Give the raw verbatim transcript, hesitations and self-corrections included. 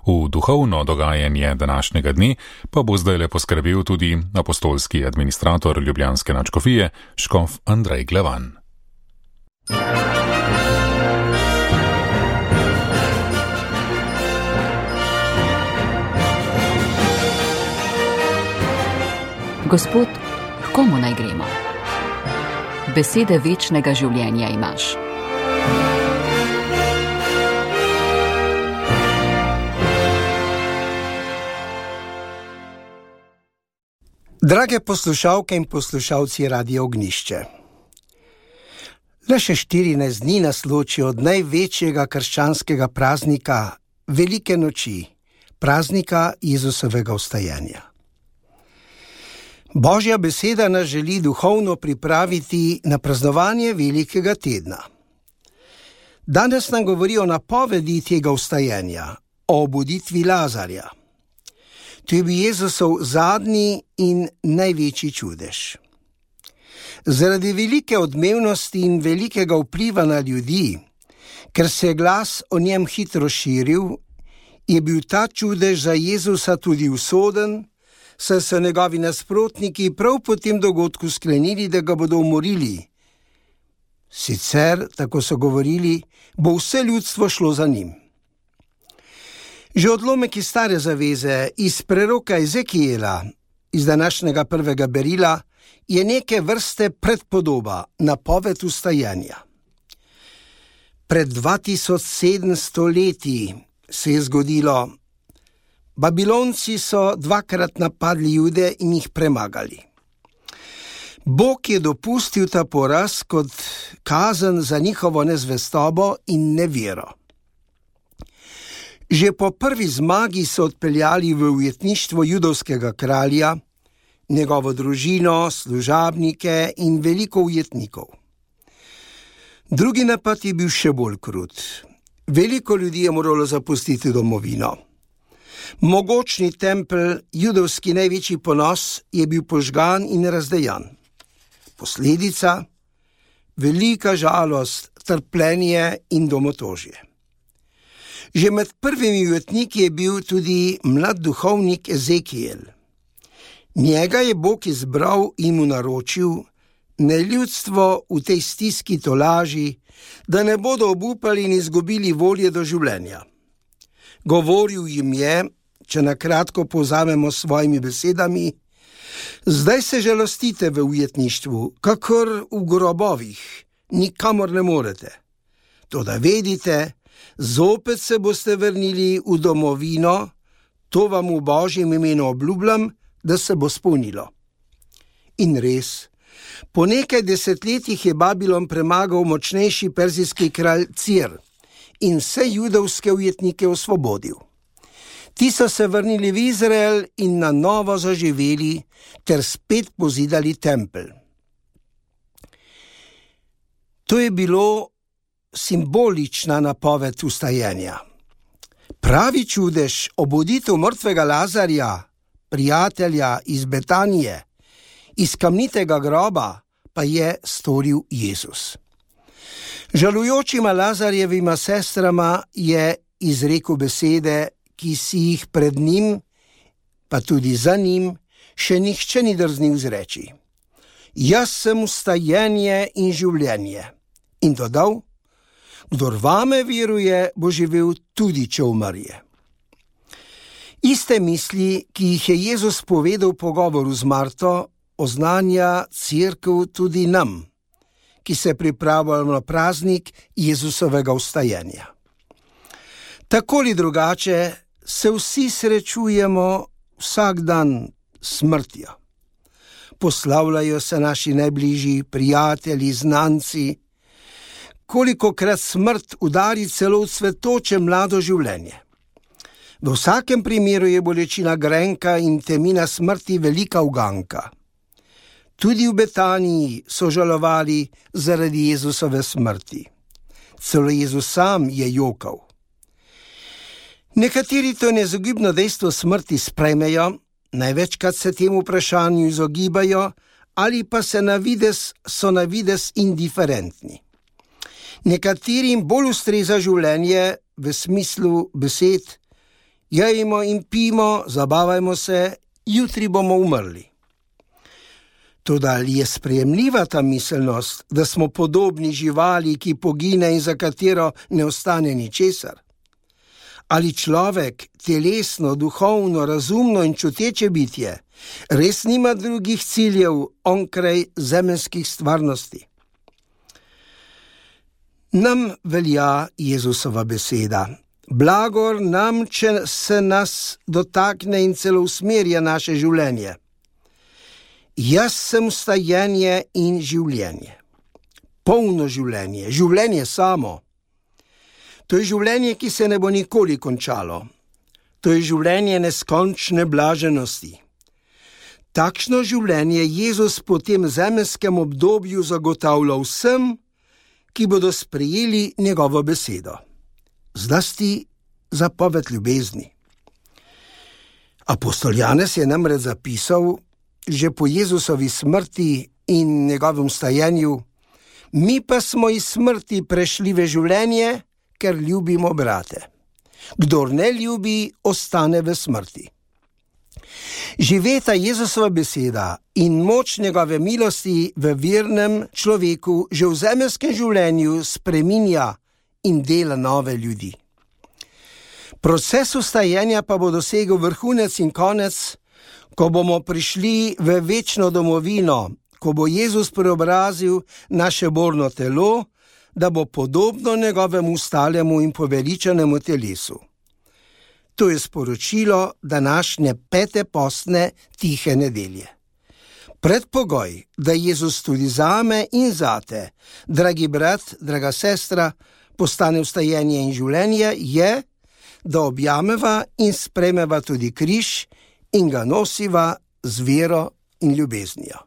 V duhovno dogajanje današnjega dne pa bo zdajle poskrbel tudi apostolski administrator ljubljanske nadškofije, škof Andrej Glavan. Gospod, k komu naj gremo? Besede večnega življenja imaš. Drage poslušalke in poslušalci Radia Ognjišče. Le še štirinajst dni nas loči od največjega krščanskega praznika, velike noči, praznika Jezusovega vstajenja. Božja beseda nas želi duhovno pripraviti na praznovanje velikega tedna. Danes nam govori o napovedi tega vstajenja, o obuditvi Lazarja. To je bil Jezusov zadnji in največji čudež. Zaradi velike odmevnosti in velikega vpliva na ljudi, ker se je glas o njem hitro širil, je bil ta čudež za Jezusa tudi usoden, saj so njegovi nasprotniki prav po tem dogodku sklenili, da ga bodo umorili. Sicer, tako so govorili, bo vse ljudstvo šlo za njim. Že odlomek iz Stare zaveze, iz preroka Ezekijela, iz današnjega prvega berila, je neke vrste predpodoba, napoved vstajenja. Pred dva tisoč sedemsto leti se je zgodilo: Babilonci so dvakrat napadli Jude in jih premagali. Bog je dopustil ta poraz kot kazen za njihovo nezvestobo in nevero. Že po prvi zmagi so odpeljali v ujetništvo judovskega kralja, njegovo družino, služabnike in veliko ujetnikov. Drugi napad je bil še bolj krut. Veliko ljudi je moralo zapustiti domovino. Mogočni tempelj, judovski največji ponos, je bil požgan in razdejan. Posledica: velika žalost, trpljenje in domotožje. Že med prvimi ujetniki je bil tudi mlad duhovnik Ezekijel. Njega je Bog izbral in mu naročil, naj ljudstvo v tej stiski tolaži, da ne bodo obupali in izgubili volje do življenja. Govoril jim je, če na kratko povzamemo s svojimi besedami: zdaj se žalostite v ujetništvu, kakor v grobovih, nikamor ne morete. Toda vedite, zopet se boste vrnili v domovino, to vam v Božjem imenu obljubljam, da se bo spolnilo. In res, po nekaj desetletjih je Babilon premagal močnejši perzijski kralj Cir in vse judovske ujetnike osvobodil. Ti so se vrnili v Izrael in na novo zaživeli ter spet pozidali tempelj. To je bilo simbolična napoved vstajenja. Pravi čudež, obuditev mrtvega Lazarja, prijatelja iz Betanije, iz kamnitega groba, pa je storil Jezus. Žalujočima Lazarjevima sestrama je izrekel besede, ki si jih pred njim, pa tudi za njim, še nihče ni drznil izreči: jaz sem vstajenje in življenje. In dodal: kdor vame veruje, bo živel tudi, če umrje. Iste misli, ki jih je Jezus povedal v pogovoru z Marto, oznanja cerkev tudi nam, ki se pripravljamo na praznik Jezusovega vstajenja. Tako ali drugače se vsi srečujemo vsak dan s smrtjo. Poslavljajo se naši najbližji, prijatelji, znanci. Kolikokrat smrt udari celo v cvetoče mlado življenje. V vsakem primeru je bolečina grenka in temina smrti velika uganka. Tudi v Betaniji so žalovali zaradi Jezusove smrti. Celo Jezus sam je jokal. Nekateri to neizogibno dejstvo smrti sprejmejo, največkrat se temu vprašanju izogibajo ali pa se na vides, so na vides indiferentni. Nekaterim bolj ustreza življenje v smislu besed: jejmo in pimo, zabavajmo se, jutri bomo umrli. Toda ali je sprejemljiva ta miselnost, da smo podobni živali, ki pogine in za katero ne ostane ničesar? Ali človek, telesno, duhovno, razumno in čuteče bitje, res nima drugih ciljev onkraj zemeljskih stvarnosti? Nam velja Jezusova beseda. Blagor nam, če se nas dotakne in celo usmerja naše življenje. Jaz sem vstajenje in življenje. Polno življenje, življenje samo. To je življenje, ki se ne bo nikoli končalo. To je življenje neskončne blaženosti. Takšno življenje Jezus po tem zemeljskem obdobju zagotavlja vsem, ki bodo sprejeli njegovo besedo. Zlasti zapoved ljubezni. Apostol Janez je namreč zapisal, že po Jezusovi smrti in njegovem vstajenju: mi pa smo iz smrti prešli v življenje, ker ljubimo brate. Kdor ne ljubi, ostane v smrti. Živeta Jezusova beseda in moč njegove milosti v vernem človeku že v zemeljskem življenju spreminja in dela nove ljudi. Proces vstajenja pa bo dosegel vrhunec in konec, ko bomo prišli v večno domovino, ko bo Jezus preobrazil naše borno telo, da bo podobno njegovemu stalemu in poveličanemu telesu. To je sporočilo današnje pete postne tihe nedelje. Predpogoj, da Jezus tudi zame in zate, dragi brat, draga sestra, postane vstajenje in življenje, je, da objameva in sprejmeva tudi križ in ga nosiva z vero in ljubeznijo.